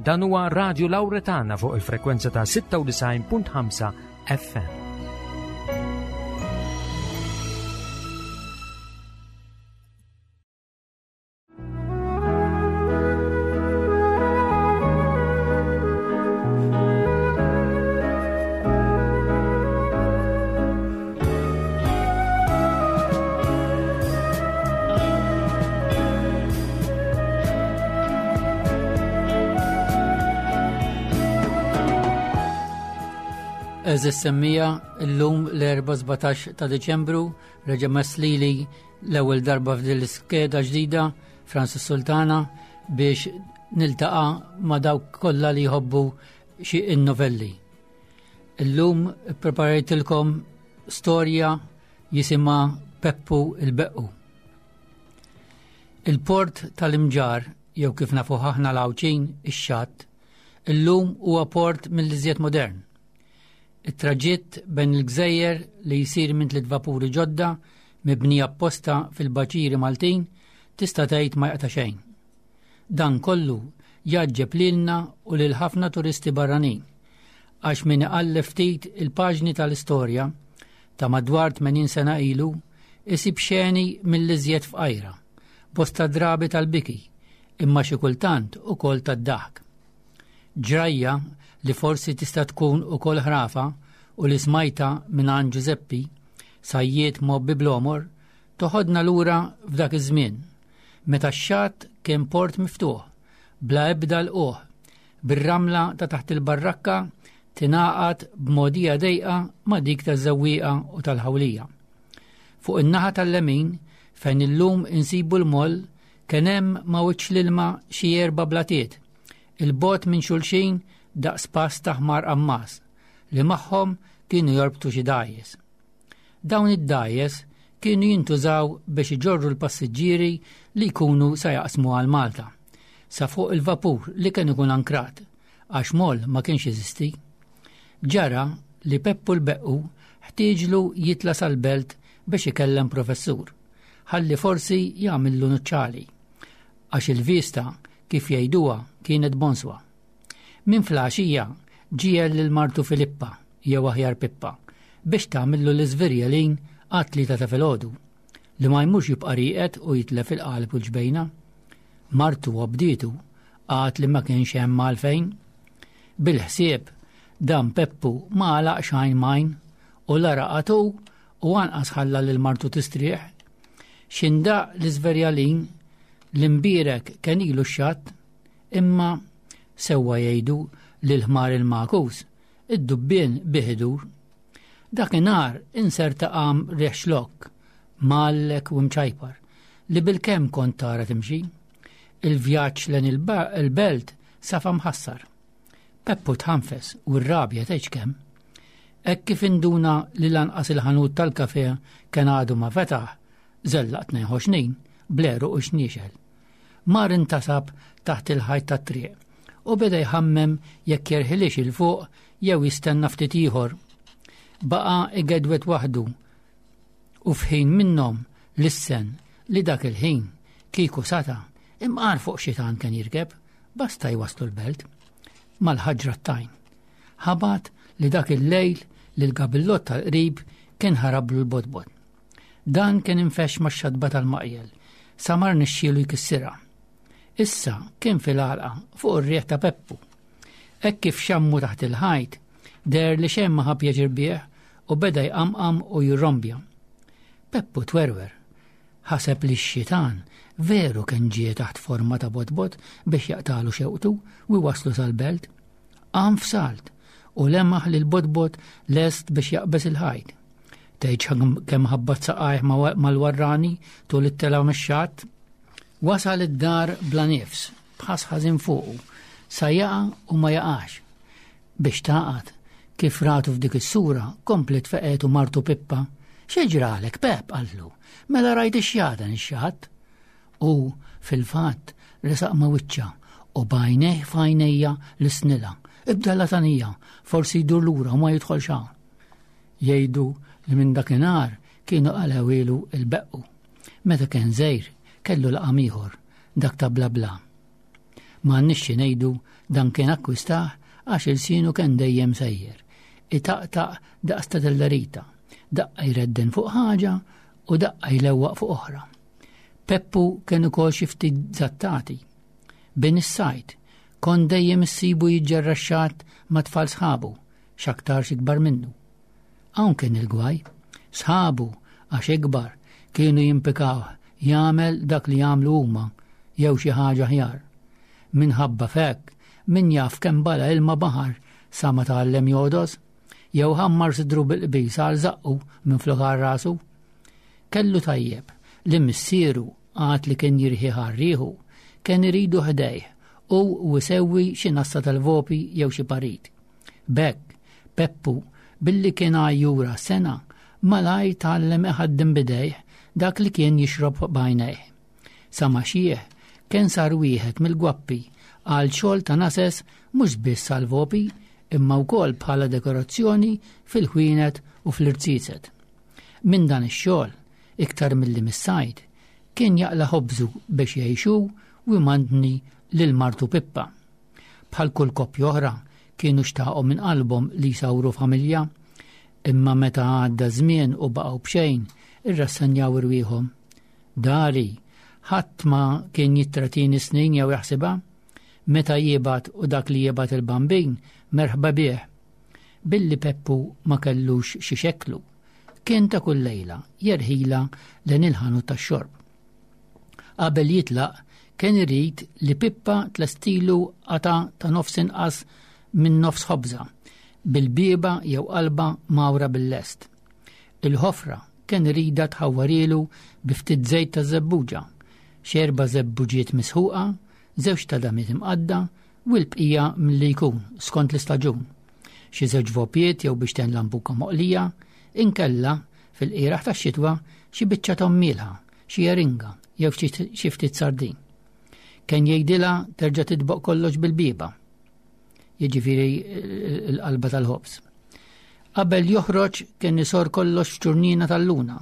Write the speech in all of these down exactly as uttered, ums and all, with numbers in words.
Dan huwa Radio Lauretana fuq il-frekwenza ta' sitta u disgħin punt ħamsa F M. Għeżież semmiegħa, illum l-Erbgħa sbatax ta' Deċembru, reġa' lili l-ewwel darba f'din l-iskeda ġdida, Francis Sultana, biex niltaqa' ma' dawk kollha li jħobbu xi novelli. Illum preparajtilkom storja jisimha Peppu il-Beqqu. Il-port tal-Imġarr, jew kif nafu aħna l-Għawdxin, ix-Xatt, illum huwa port mill-iżjed modern. It-traġitt bejn il-gżejjer li jsir minn tliet vapuri ġodda mibni apposta fil-baċiri Maltin tista' tgħid ma jaqta' xejn. Dan kollu jgħaġġeb lilna u lil ħafna turisti barranin, għax min iqalleb ftit il-paġni tal-istorja ta' madwar tmenin sena ilu isib xeni mill-iżjed fqajra, bosta drabi tal-biki, imma xi kultant ukoll tad-daħk. Ġrajja li forsi tista' tkun ukoll ħrafa u li smajta minn għand Giuseppi, sajjied mgħobbi bl-għomor, toħodna lura f'dak iż-żmien, meta x-xatt kien port miftuħ, bla ebda lqugħ, bir-ramla ta' taħt il-barrakka tingħaqad b'mogħdija dejqa ma' dik taż-Żewwieqa u tal-Ħawlija. Fuq in-naħa tal-lemin, fejn illum insibu l-moll, kien hemm ma' wiċċ l-ilma xi erba' blatiet, 'il bogħod minn xulxin daqs pass ta' ħmar qammas, li magħhom kienu jorbtu xi dgħajjes. Dawn id-dgħajjes kienu jintużaw biex iġorru l-passiġġieri li jkunu sa jaqsmu għal Malta, sa fuq il-vapur li kien ikun ankrat, għax moll ma kienx jeżisti. Ġara li Peppu l-Beqqu ħtieġlu jitla sal-belt biex ikellem professur, ħalli forsi jagħmillu nuċċali, għax il-vista kif jgħiduha kienet bonswa. Minn filgħaxija ġiegħel lil martu Filippa, jew aħjar Pippa, biex tagħmillu l-iżverjelin għat-tlieta ta' filgħodu, li ma jmurx jibqa' rieqed u jitlef il-qalb u l-ġbejna. Martu obdietu, għad li ma kienx hemm għalfejn. Bil-ħsieb dan Peppu ma għalaq xejn majn u la raqad hu u anqas ħalla lil martu tistrieħ. X'indaq l-iżverjalin l-imbierek kien ilu x-xatt, imma sewwa jgħidu li l-ħmar il-magħkus id-dubbien bih idur. Dakinhar inserta qam riħ xlokk, mgħallek u mċajpar, li bil-kemm kont tara timxi. Il-vjaġġ lejn il-belt safa mħassar. Peppu tħanfes u r-rabja tgħidx kemm. Hekk kif induna li lanqas il-ħanut tal-kafe kien għadu ma fetaħ, żellaq tnejn ħoxnin, bl-għeruq u xniexel. Mar intasab taħt il-ħajt tat-triq u beda jħammem jekk jerħilix 'il fuq jew jistenna ftit ieħor. Baqa igedwet waħdu u f'ħin minnhom lissen li dak il-ħin kieku sata imqar fuq xitan kien jirkeb, basta jwaslu l-belt. Mal-ħaġra t-tajn. Ħabat li dak il-lejl li l-gabillot tal-qrib kien ħarablu l-bodbod. Dan kien infex ma' xadba tal-maqjel, sa ma rnexxielu jkissirha. Issa kien fil-għalqa fuq ir-riħ ta' Peppu. Hekk kif xammu taħt il-ħajt, deher li xejn ma ħa pjaċir bih u beda jqamqam u jirrombja. Peppu twerwer, ħaseb li x-xitan veru kien ġie taħt forma ta' bodbod biex jaqtalu xewqtu u jwaslu sal-belt. Qam f'salt u lemaħ li l-bodbod lest biex jaqbeż il-ħajt. Tgħidx kemm ħabbat saqajh mal-warrani tul it-telgħa mix-xatt. Wasal id-dar bla nifs, b'ħass ħażin fuqu, sa jaqa' u ma jaqax. Biex taqat, kif ratu f'dik is-sura, komplet feqetu martu Pippa. "X'ġralek, Pep?" qaltlu. "Mela rajt ix-xjaten ix-xatt?" U fil-fatt resaq ma' wiċċha u b'għajnejh f'għajnejha lissnilha: "Ibda latanija, forsi jdur lura u ma jidħol hawn." Jgħidu li minn dakinhar kienu qalgħuhielu il-Beqqu. Meta kien żgħir kellu laqam ieħor, dak ta' Bla Bla. M'għandniex xi ngħidu, dan kien akkwistah għax ilsienu kien dejjem sejjer. Itaqtaq daqs ta' tellerita, daqqa jredden fuq ħaġa u daqqa jlewwaq fuq oħra. Peppu kien ukoll xi ftit zattati. Bin is-sajt, kon dejjem issibu jiġġerra x-xatt ma' tfal sħabu, x'aktarx ikbar minnu. Hawn kien il-gwaj, sħabu għax ikbar kienu jimpikawh jagħmel dak li jagħmlu huma jew xi ħaġa aħjar. Minħabba f'hekk, min jaf kemm bala ilma baħar sa ma tgħallem jogħdos, jew ħammar sidru bil-qbis għal żaqqu minflok għal rasu. Kellu tajjeb li missieru għad li kien jirħi ħarriħu, kien iridu ħdejh u wisewwi xi nassa tal-vopi jew xi parit. B'hekk, Peppu, billi kien għajjura sena, malajr tgħallem iħaddem bidejh dak li kien jixrob b'għajnejh. Sa ma xieħ, kien sar wieħed mill-gwappi għal xogħol ta' nases mhux biss għal vopi imma wkoll bħala dekorazzjoni fil-ħwienet u fl-irziezet. Minn dan ix-xogħol, iktar milli mis-sajd, kien jaqla' ħobżu biex jgħixu u jmantni lil martu Pippa. Bħal kull koppja oħra kienu xtaqgħu minn qalbhom li jsawru familja, imma meta għadda żmien u baqgħu b'xejn, irrassenjaw irwieħhom. Dari, ħadd ma kien jittratini snin jew jaħsibha, meta jibgħat u dak li jibgħat il-bambin merħba bih. Billi Peppu ma kellux xi xeklu, kien ta' kull lejla jerħila lejn il-ħanut tax-xorb. Qabel jitlaq kien irid li Pippa tlestilu qata ta' nofs inqas minn nofs ħobża, bil-bieba jew qalba mawra bil-lest. Il-ħofra kien irida tħawwarilu bi ftit żejt ta' żebbuġa, xerba żebbuġiet misħuqa, żewġ ta' damiet imqadda u l-bqija milli jkun skont l-istaġun. Xi żewġ vopiet jew biex ten lambuka moqlija, inkella fil-qiraħ tax-xitwa xi biċċa tommielha, xi eringa jew xi ftit sardin. Kien jgħidilha terġa' titboq kollox bil-bieba, jiġifieri l-qalba tal-ħobż. Qabel joħroġ kien isor kollox f'ċurnina tal-luna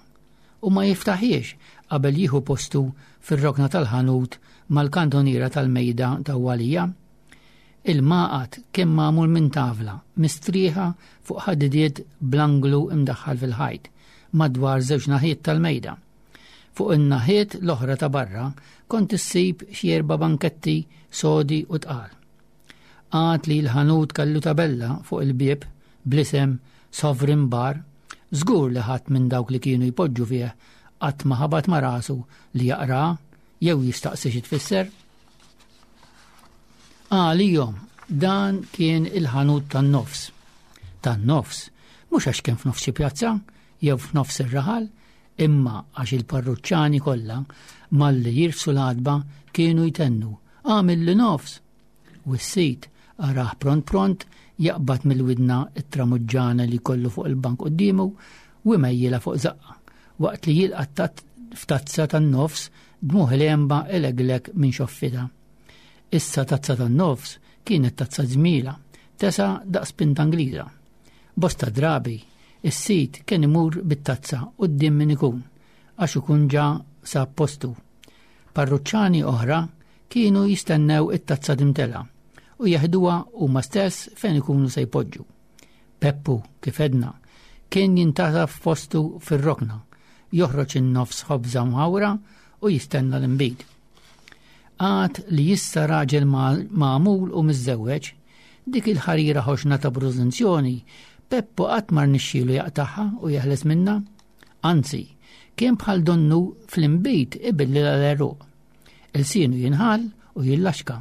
u ma jiftaħiex qabel jieħu postu fir-rokna tal-ħanut mal-kantoniera tal-mejda ta' Walija. Il-maqat kien magħmul minn tavla mistrieħa fuq ħadidiet bl-anglu imdaħħal fil-ħajt madwar żewġ naħiet tal-mejda. Fuq in-naħiet l-oħra ta' barra kont issib xi erba' banketti sodi u tqal. Għad li l-ħanut kellu tabella fuq il-bieb bl-isem Sovereign Bar, żgur li ħadd minn dawk li kienu jpoġġu fih qatt ma ħabat ma' rasu li jaqra jew jistaqsi xi tfisser. Għalihom dan kien il-ħanut tan-nofs. Tan-nofs, mhux għax kien f'nofs xi pjazza jew f'nofs ir-raħal, imma għax il-parruċċani kollha malli jirfsu l-għatba kienu jtennu għamil li nofs. U s-sid araħ pront pront jaqbad mill-widna it-tramuġġana li kollu fuq il-bank quddiemu u jmejjilha fuq zaqqa, waqt li jilqa' f'tazza tan-nofs dmuħ l-emba eleglek minn xoffita. Issa tazza tan-nofs kienet tazza ġmila, tesa daqs pinta Ingliża. Bosta drabi, is-sid kien imur bit-tazza quddiem min ikun, għax ikun ġa sab postu. Parruċċani oħra kienu jistennew it-tazza timtela u jeħduha huma stess fejn ikunu se jpoġġu. Peppu, kif edna, kien jintasab f'postu fir-rokna, joħroġ in-nofs ħobża mħawra u jistenna l-inbid. Għad li issa raġel magħmul u miżżewweġ, dik il-ħarira ħoxna ta' brużunzjoni, Peppu qatt ma rnexxielu jaqtagħha u jeħles minnha. Anzi, kien bħal donnu fl-inbid ibilli l-għeruq. Il-sienu jinħall u jillaxka,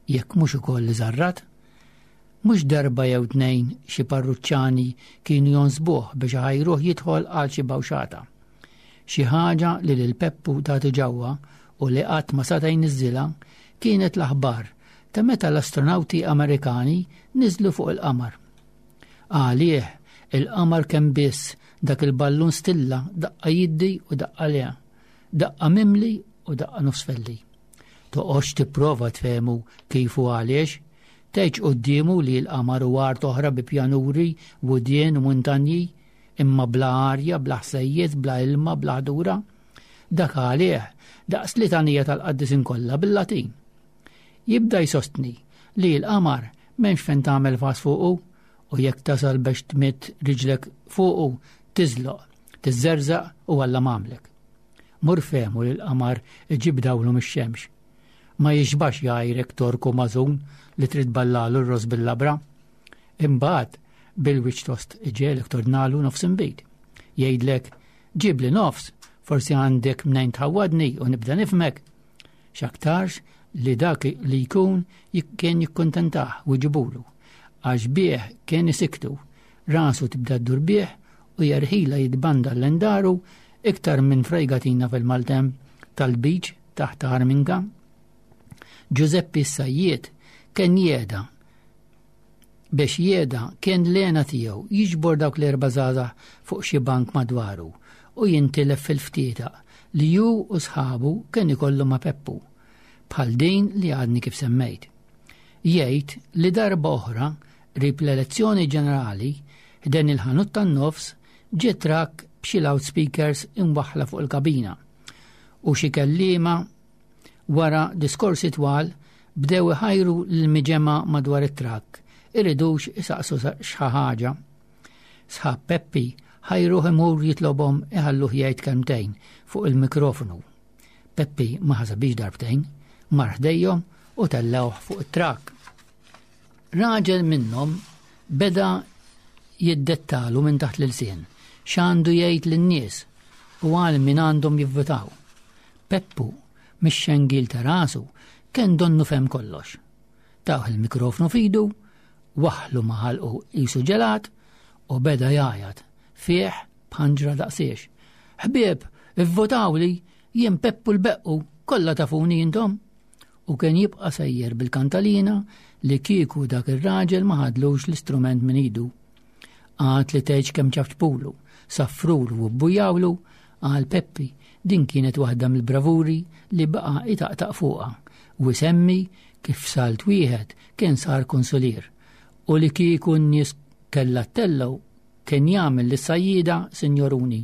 jekk mhux ukoll iżarrat. Mhux darba jew tnejn xi parruċċani kienu jonsbuh biex ħajruh jidħol għal xi bawxata. Xi ħaġa li lil Peppu tagħti ġewwa u li qatt ma seta' jniżżilha kienet l-aħbar ta' meta l-astronawti Amerikani niżlu fuq il-qamar. Għalih il-qamar kemm biss dak il-ballun stilla daqqa jiddi u daqqa le, daqqa mimli u daqqa nofsfelli. Toqgħodx tipprova tfehmu kif u għaliex, tgħidx quddiemu li l-qamar u art oħra bi pjanuri, wudien u muntanji, imma bla arja, bla ħsejjes, bla ilma, bla ħdura. Dak għalih daqs litanija tal-qaddisin kollha bil-Latin. Jibda jsostni li l-qamar m'hemmx fejn tagħmel fas fuqu u jekk tasal biex tmidd riġlek fuqu tiżloq, tiżżerżaq u Alla m'għamlek. Mur fehmu li l-qamar iġib dawlu mix-xemx. Ma jixbax jgħajrek torku mażun li trid ballalu r-ross bil-labra. Imbagħad bil-wiċċ tost iġegħlek tordnalu nofs inbid. Jgħidlek, ġibli nofs, forsi għandek mnejn tħawwadni u nibda nifhmek. X'aktarx li dak li jkun kien jikkuntentah u jġibulu. Għax bih kien isiktu, rasu tibda ddur bih u jerħila jitbanda l-endaru iktar minn frejgatina fil-maltemp tal-beach taħt Arminka. Giuseppe Sajjiet kien jeda biex jeda kien l-għena tiegħu jiġbor dawk l-erba' żgħażagħ fuq xi bank madwaru u jintilef fil-ftieta li ju u sħabu kien ikollu ma' Peppu, bħal din li għadni kif semmejt. Jgħid li darba oħra qrib l-elezzjoni ġenerali ħdejn il-ħanut tan-nofs ġie trakk b'xi loudspeakers imwaħħla fuq il-kabina u xi kelliema wara diskorsi twal bdew iħajru l-miġemgħa madwar it-trakk iridux isaqsu xi ħaġa. Sħab Peppi ħajruh imur jitlobhom iħalluh jgħid kelmtejn fuq il-mikrofonu. Peppi ma ħasabix darbtejn, mar ħdejhom u tellewh fuq it-trakk. Raġel minnhom beda jiddettalu minn taħt l-ilsien x'għandu jgħid lin-nies u għal min għandhom jivvutaw. Peppu mix-xengil ta' rasu kien donnu fehem kollox. Tawh il-mikrofonu f'idu, waħħlu ma' ħalqu qisu ġelat u beda jgħajjat fih b'ħanġra daqsiex. Ħbieb, ivvotawli, jien Peppu l-Beqqu, kollha tafuni intom. U kien jibqa' sejjer bil-kantalina li kieku dak ir-raġel ma ħadlux l-istrument minn idu. Għad li tgħidx kemm ċafċpulu, saffrulu u bbujawlu, għal Peppi din kienet waħda mill-bravuri li baqa' itaqtaq fuqha u semmi kif salt wieħed kien sar konsulier u li kieku n-nies kellha ttellgħu kien jagħmel lis-sajjieda sinjoruni.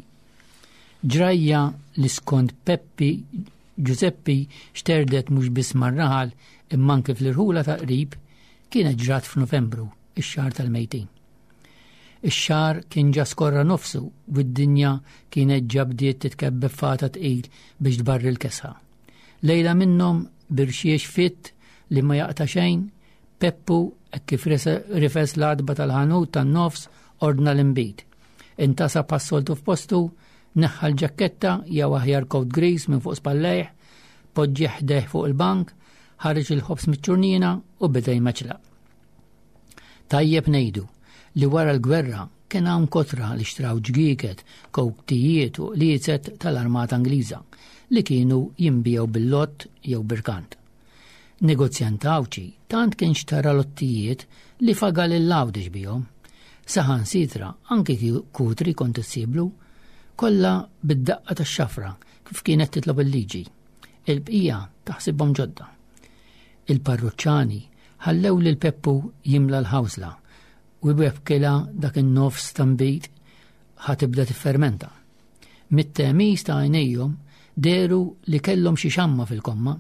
Ġrajja li skont Peppi Giuseppi xterdet mhux biss mar-raħal imma anke fl-irħula ta' qrib kienet ġrat f'Novembru, ix-xahar tal-mejtin. Ix-xahar kien ġa skorra nofsu u d-dinja kienet ġa bdiet titkebbeb fata tqil biex tbarri l-kesħa. Lejla minnhom birxiex fitt li ma jaqta' xejn, Peppu hekk kif rifes l-għatba tal-ħanut tan-nofs ordna l-inbid. Intasa passoltu f'postu, neħħa l-ġaketta jew aħjar coat gris minn fuq spallejh, poġġi ħdejh fuq il-bank, ħareġ il-ħobż miċ-ċurnina u beda jmeċlaq. Tajjeb ngħidu li wara l-gwerra kien hawn kotra li xtraw ġgieket, kowtijiet u qliezet tal-Armata Ingliża li kienu jinbiegħu bil-lott jew birkant. Negozjant Għawdxi tant kien xtara lottijiet li faga lil Għawdex bihom. Saħansitra anki kutri kont issiblu, kollha bid-daqqa tax-xafra kif kienet titlob il-liġi. Il-bqija taħsibhom ġodda. Il-parruċċani ħallew lil Peppu jimla l-ħawsla u jbebkilha dak in-nofs ta' nbid ħa tibda tiffermenta. Mit-temis ta' għajnejhom dehru li kellhom xi xamma fil-komma.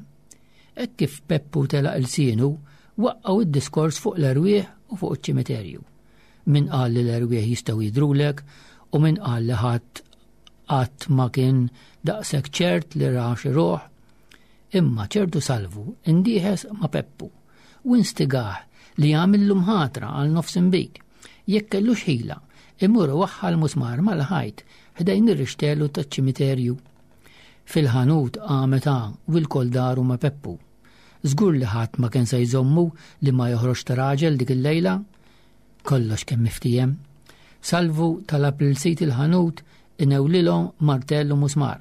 Hekk kif Peppu telaq ilsienu, waqqgħu id-diskors fuq l-erwieħ u fuq iċ-ċimiterju. Min qal li l-erwieħ jistgħu jidhrulek u min qal li ħadd qatt ma kien daqshekk ċert li ra xi ruħ. Imma ċertu Salvu indieħes ma' Peppu u instigah li jagħmillu mħatra għal nofs inbid. Jekk kellux ħila, imur waħħal musmar mal-ħajt ħdejn ir-rixtelu taċ-ċimiterju. Fil-ħanut qamet u l-kol daru ma' Peppu. Żgur li ħadd ma kien se jżommu li ma joħroġ ta' raġel dik il-lejla. Kollox kemm miftiehem. Salvu talab lil sid il-ħanut inewlilhom martell u musmar.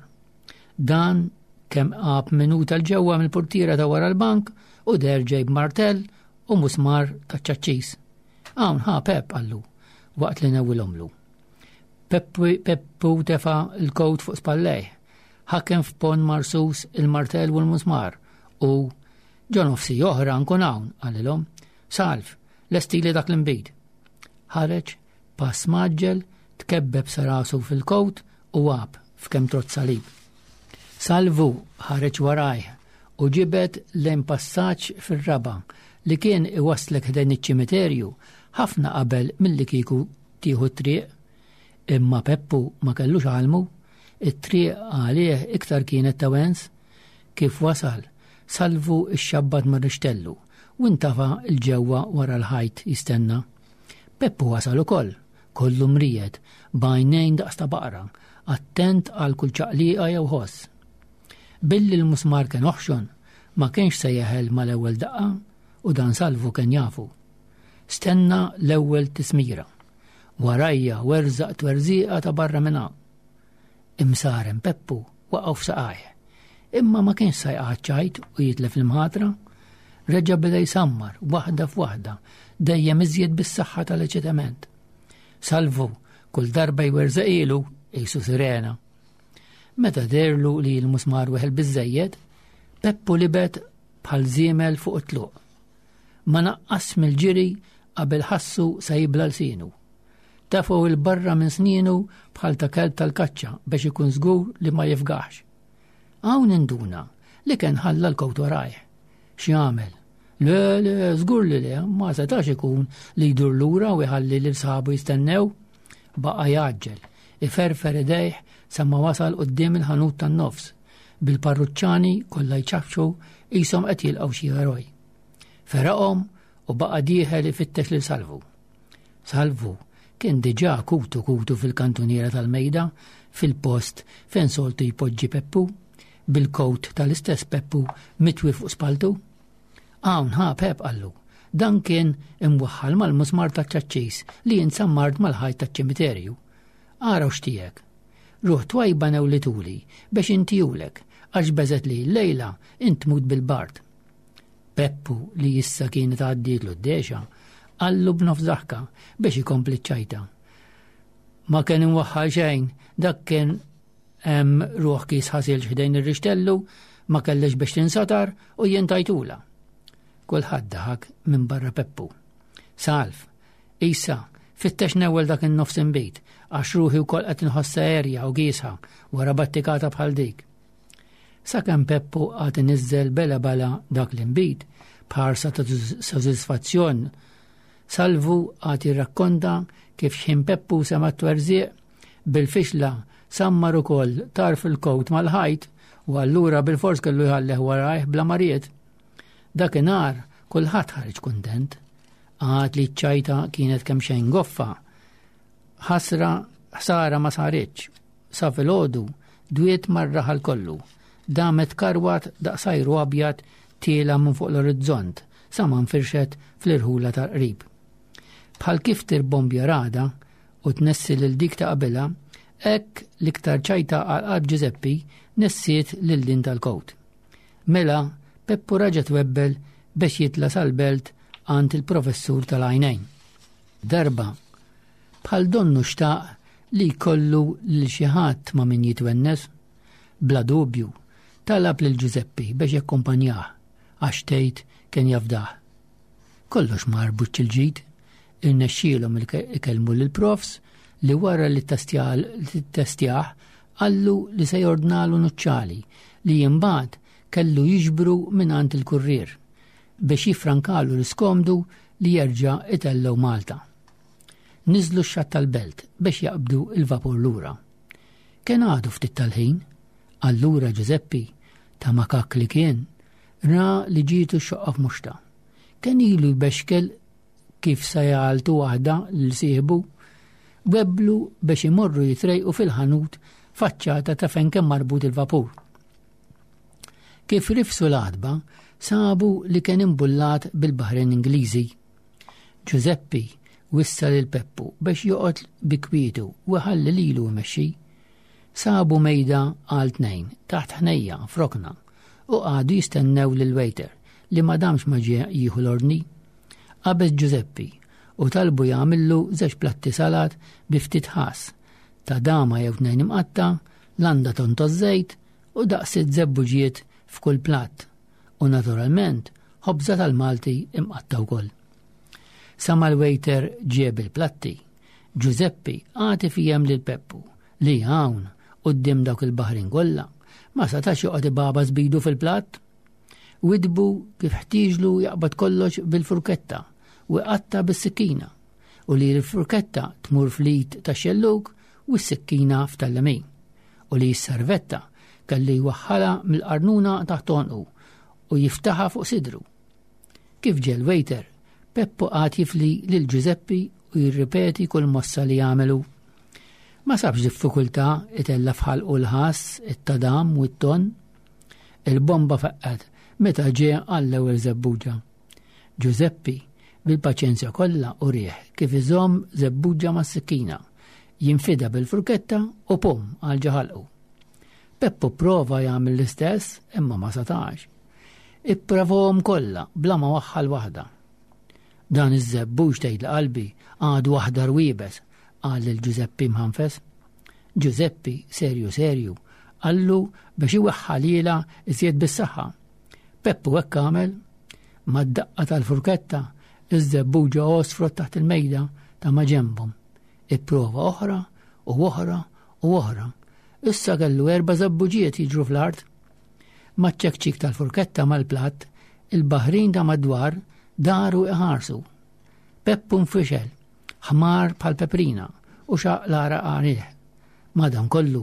Dan kemm qab minuta 'l ġewwa mill-portiera ta' wara l-bank u deher ġej b'martell u musmar ta' ċaċċis. Hawn ħa Pep qallu waqt li newwilhomlu. Peppu tefa l-kowt fuq spallejh, ħakem f'pon marsus il-martell u l-musmar u ġo nofsi oħra nkun hawn, qalilhom. Salv, lestili dak l-inbid. Ħareġ, pass mgħaġġel, tkebbeb sa rasu fil-kowt u għab f'kemm trott salib. Salvu ħareġ warajh u ġibed lejn passaġġ fir-raba' li kien iwasslek ħdejn iċ-ċimiterju ħafna qabel milli kieku tieħu t-triq. Imma Peppu ma kellux għalmu, it-triq għalih iktar kienet ta' wens. Kif wasal, Salvu ixxabbat mar-rixtellu u ntafa' 'l ġewwa wara l-ħajt jistenna. Peppu wasal ukoll, kollu mriegħed, b'għajnejn daqs ta' baqra, attent għal kull ċaqliqa jew ħoss. Billi l-musmar kien oħxon, ma kienx se jeħel mal-ewwel daqqa u dan Salvu kien jafu. Stenna l-ewwel tismira. Warajja werżaq twerżiqa ta' barra minn hawn. Imsaren Peppu waqgħu f'saqajh. Imma ma kienx sa jaqgħad ċajt u jitlef l-imħatra. Reġa' beda jsammar waħda f'waħda, dejjem iżjed bis-saħħa tal-eċitament. Salvu kull darba jwerżaqilu qisu sirena. Meta dehrlu li l-musmar weħel biżżejjed, Peppu libet bħal żiemel fuq it-tluq. Ma naqqas mill-ġiri qabel ħassu sa jibla lsienu. Tefgħu 'l barra minn snienu bħal ta' kelb tal-kaċċa biex ikun żgur li ma jifgaħx. Hawn induna li kien ħalla l-kowt warajh. X'jagħmel? Le, le, żgur li le, ma setax ikun li jdur lura u jħalli lil sħabu jistennew. Baqa' jgħaġġel, iferfer idejh sa ma wasal quddiem il-ħanut tan-nofs, bil-parruċċani kollha jċafċu qishom qed jilqgħu xi eroj. Feraqhom u baqa' dieħel ifittex lil Salvu. Salvu kien diġà kutu kutu fil-kantuniera tal-mejda, fil-post fejn soltu jpoġġi Peppu, bil-kowt tal-istess Peppu mitwi fuq spaltu. Hawn ħa Pep qallu, dan kien imwaħħal mal-musmar taċ-ċaċċis li jinsammart mal-ħajt taċ-ċimiterju. Ara x'tiegħek. Ruħ twajba newlituli biex intihulek għax beżgħet li llejla int tmut bil-bard. Peppu li issa kienet għaddietlu d-dexa, qallu b'nofs daħka biex ikompli ċ-ċajta. Ma kien imwaħħal xejn, dak kien hemm ruħ kis ħasil ħdejn ir-rixtellu, ma kellix biex tinsatar u jien tajtula. Kulħadd daħak minn barra Peppu. Salv, issa, fittex newwel dak in-nofs inbid, għax ruħi wkoll qed inħossha erja u giesħa wara battikata bħal dik. Sakemm Peppu qagħad iniżżel bela bala dak l-inbid, b'ħarsa ta' sodisfazzjon, Salvu qagħad jirrakkonta kif xħin Peppu sema' t-twerżiq bil-fixla sammar ukoll tarf il-kowt mal-ħajt u allura bilfors kellu jħallih warajh bla ma ried. Dakinhar kulħadd ħareġ kuntent. Għad li ċ-ċajta kienet kemm xejn goffa. Ħasra ħsara ma saritx. Sa filgħodu dwiet mar-raħal kollu. Damet karwat daqsajru abjad tiela minn fuq l-orizzont sa ma nfirxet fl-irħula tal-qrib. Bħal kif tirbombja rada u tnessi lil dik ta' qabilha, hekk l-iktar ċajta għal qalb Ġużeppi nessiet lil din tal-kowt. Mela Peppu raġa' twebbel biex jitla' sal-belt għand il-professur tal-għajnejn. Darba, bħal donnu xtaq li jkollu lil xi ħadd ma' min jitwennes, bla dubju, talab lil Ġużeppi biex jakkumpanjah għax tgħid kien jafdah. Kollox mar buċċ il-ġid, irnexxielhom ikellmu lill-profs li wara li ttestjah qallu li se jordnalu nuċċali li imbagħad kellu jiġbru mingħand il-kurrier biex jiffrankalu l-iskomdu li jerġa' itellgħu Malta. Niżlu x-xatt tal-belt biex jaqbdu il-vapur lura. Kien għadu ftit tal-ħin, allura Ġużeppi, ta' makak li kien, ra li ġietu x-xoqqa f'muxta. Kien ilu jbexkel kif sa jgħaltu waħda lil sieħbu, webblu biex imorru jitrejqu fil-ħanut faċċata ta' fejn kien marbut il-vapur. Kif rifsu l-għatba, sabu li kien imbullat bil-baħrin Ingliżi. Ġużeppi wissa lil Peppu biex joqgħod bi kwietu u ħalli lilu jmexxi. Sabu mejda għal tnejn taħt ħnejja f'rokna u qagħdu jistennew lil waiter li ma damx ma ġie jieħu l-ordni. Qabeż Ġużeppi u talbu jagħmillu żewġ platti salat bi ftit ħass, ta' dama jew tnejn imqatta, landa tonto żejt u daqsit żebbuġiet f'kull platt u naturalment ħobża tal-Malti imqatta wkoll. Sa ma l-waiter ġieb il-platti, Ġużeppi għati fijem lil Peppu li hawn quddiem dawk il-baħrin kollha ma setax joqgħod ibabas bidu fil-platt. Widbu kif ħtieġlu jaqbad kollox bil-furketta u jqatta' bis-sikkina u li l-furketta tmur fl-id tax-xellug u s-sikkina f'tal-lemin u li s-servetta kelli jwaħħalha mill-qarnuna taħt għonqu u jiftaħha fuq sidru. Kif ġie l-waiter, Peppu qagħad jifli lil Ġużeppi u jirripeti kull mossa li jagħmelu. Ma sabx diffikultà itella' f'ħalqu l-ħass, it-tadam u t-ton. Il-bomba faqqgħet meta ġie għall-ewwel żebbuġa. Ġużeppi bil-paċenzja kollha urih kif iżomm żebbuġa mas-sikkina, jinfidha bil-furketta u pum għal ġo ħalqu. Peppu prova jagħmel l-istess imma ma setax. Ipprovahom kollha bla ma waħħal waħda. Dan iż-żebbuġ tgħid qalbi għadu aħdar u iebes, qal lil Ġużeppi mħanfes. Ġużeppi serju serju qallu biex iweħħalilha iżjed bis-saħħa. Peppu hekk għamel. Mad-daqqa tal-furketta iż-żebbuġa għosfrot taħt il-mejda ta' ma ġenbhom. Ipprova oħra u oħra u oħra. Issa kellu erba' żebbuġiet jiġru fl-art. Maċ-ċekċik tal-furketta mal-platt, il-baħrin ta' madwar daru iħarsu. Peppu nfixel, ħmar bħal peprina u xaq l-għaraq għalih. Madankollu,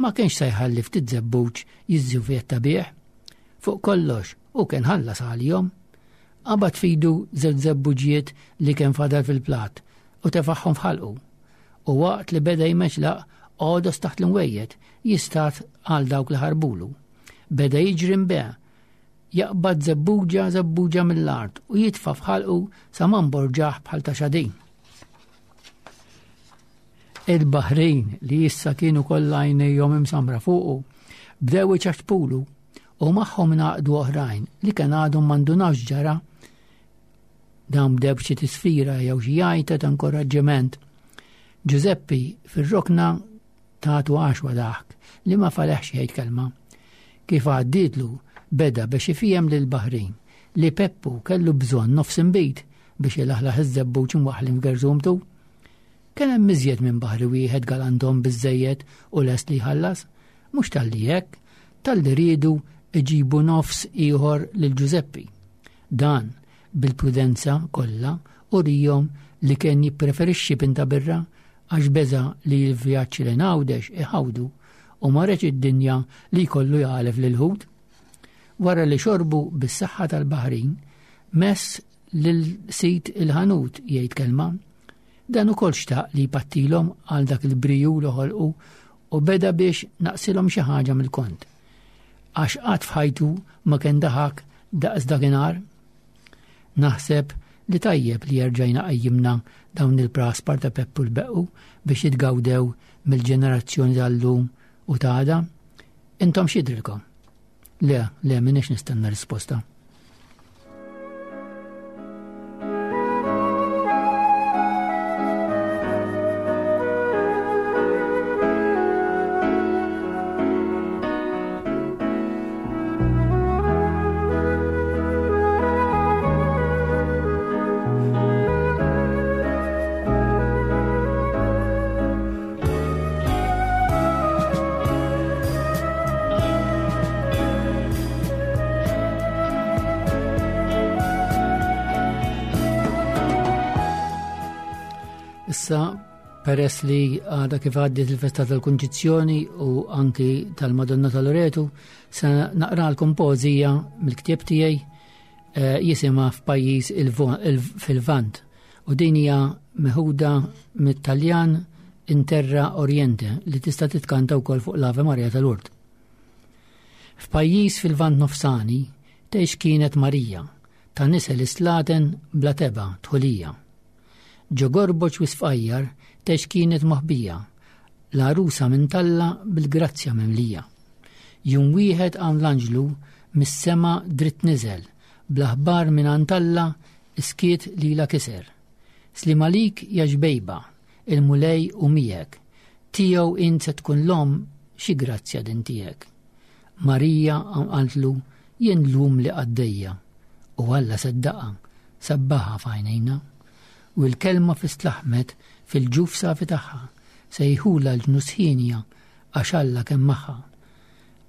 ma kienx se jħalli ftit żebbuġ jiżżuvjetta bih. Fuq kollox, u kien ħallas għalihom. Qabad fidu żewġ żebbuġiet li kien fadal fil-platt u tefaħħom f'ħalqu. U waqt li beda jmeċlaq għodos taħt l-imwejjed jistat għal dawk li ħarbulu. Beda jiġri mbe, jaqbad żebbuġa żebbuġa mill-art u jitfa' f'ħalqu sa ma mborġaħ bħal ta' xadin. Il-baħrin li issa kienu kollha għajnejhom imsamra fuqu bdew iċaċpulu u magħhom ngħaqdu oħrajn li kien għadhom m'għandunawx ġara. Dawn bdew b'xi tisfira jew xi għajta ta' inkoraġġiment. Ġużeppi fir-rokna tagħtu għaxwa daħk li ma faleħx jgħid kelma. Kif għaddietlu beda biex ifhem lill-baħrin li Peppu kellu bżonn nofs inbid biex ilaħlaħ iż-żebbuġ imwaħħlin f'gerżumtu. Kien hemm iżjed minn baħri wieħed galandhom biżżejjed u lest li jħallas, mhux talli hekk, talli riedu iġibu nofs ieħor lil Ġużeppi. Dan bil-prudenza kollha urihom li kien jippreferixxi pinta birra għax beża li l-vjaġġ lejn Għawdex iħawdu u ma reġ id-dinja li jkollu jagħlef lil ħut. Wara li xorbu bis-saħħa tal-baħrin, mess lil sid il-ħanut jgħid kelma. Dan ukoll xtaq li jpattilhom għal dak il-briju li ħolqu u beda biex naqsilhom xi ħaġa mill-kont. Għax qatt f'ħajtu ma kien daħak daqs dakinhar. Naħseb li tajjeb li jerġajna qajjimna dawn il-praspar ta' Peppu l-Beqqu biex jitgawdew mill-ġenerazzjoni tal-lum u ta' għada. Intom x'jidrilkom? Le, le, m'iniex nistenna risposta. Issa, peress li għadha kif għaddiet il-festa tal-Kunċizzjoni u anki tal-Madonna tal-Loretu, se naqralkom poeżija mill-ktieb tiegħi, eh, jisimha F'pajjiż il-vo-, il-, fil-Vant, u din hija meħuda mit-Taljan In Terra Oriente li tista' titkanta wkoll fuq l-Ave Maria tal-Lourdes. F'pajjiż fil-Vant nofsani tgħix kienet Marija ta' nisel islaten bla teba' tħulija. Ġo gorboċ wisfqajjar tgħix kienet moħbija, l-għarusa minn talla bil-grazzja mimlija. Jum wieħed hawn l-anġlu mis-sema dritt niżel, bl-aħbar minn għand Alla iskiet lilha kiser. Slim għalik ja ġbejba, il-Mulej u miegħek, tiegħu int se tkun l-omm xi grazzja din tiegħek. Marija qaltlu jien llum li qaddejja, u Alla seddaqha, sabbaħha f'għajnejna. U l-kelma fistlaħmet fil-ġuf safi tagħha, sejħula l-ġnus ħienja għax Alla kemm magħha.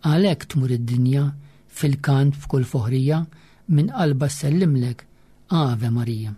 Għalhekk tmur id-dinja Fil-kant f'kull foħrija, minn qalba sellimlek, Ave Marija.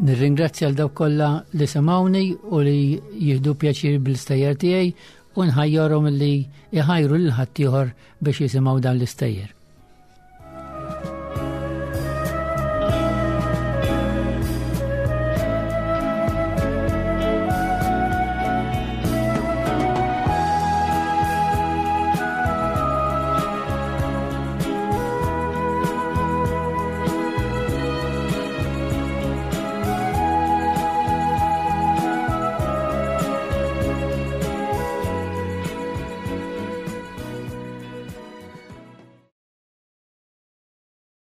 Nirringrazzja l dawk kollha li semawni u li jieħdu pjaċir bl-istejjer tiegħi u nħajjarhom li jħajru lil ħaddieħor biex jisimgħu dan l-istejjer.